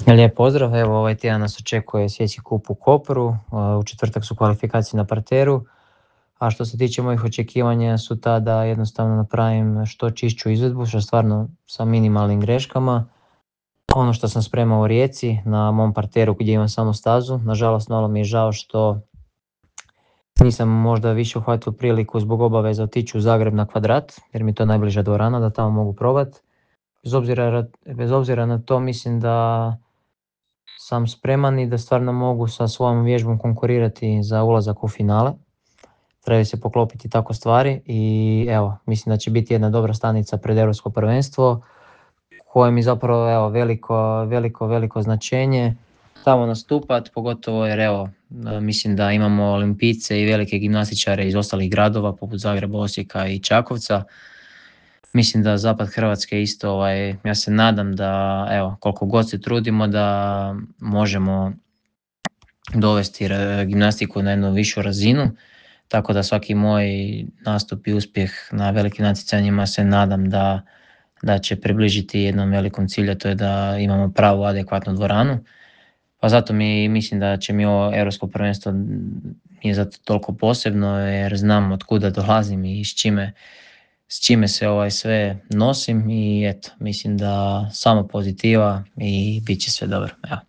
Lijep pozdrav, evo ovaj tjedan nas očekuje Svjetski kup u Kopru, u četvrtak su kvalifikacije na parteru, a što se tiče mojih očekivanja su ta da jednostavno napravim što čišću izvedbu, što stvarno sa minimalnim greškama. Ono što sam spremao u Rijeci na mom parteru gdje imam samo stazu, nažalost malo mi je žao što nisam možda više uhvatio priliku zbog obaveza otići u Zagreb na Kvadrat, jer mi je to najbliža dvorana da tamo mogu probati. Bez obzira na to mislim da sam spreman i da stvarno mogu sa svojom vježbom konkurirati za ulazak u finale. Trebaju se poklopiti tako stvari i evo, mislim da će biti jedna dobra stanica pred Europsko prvenstvo koje mi zapravo evo, veliko značenje tamo nastupat, pogotovo jer evo, mislim da imamo olimpijce i velike gimnastičare iz ostalih gradova poput Zagreba, Osijeka i Čakovca. Mislim da zapad Hrvatske isto, ja se nadam da evo, koliko god se trudimo da možemo dovesti gimnastiku na jednu višu razinu, tako da svaki moj nastup i uspjeh na velikim natjecanjima se nadam da će približiti jednom velikom cilju, a to je da imamo pravu adekvatnu dvoranu. Pa zato mislim da će mi ovo Europsko prvenstvo je zato toliko posebno jer znam od kuda dolazim i s čime se sve nosim i eto, mislim da samo pozitiva i bit će sve dobro. Evo.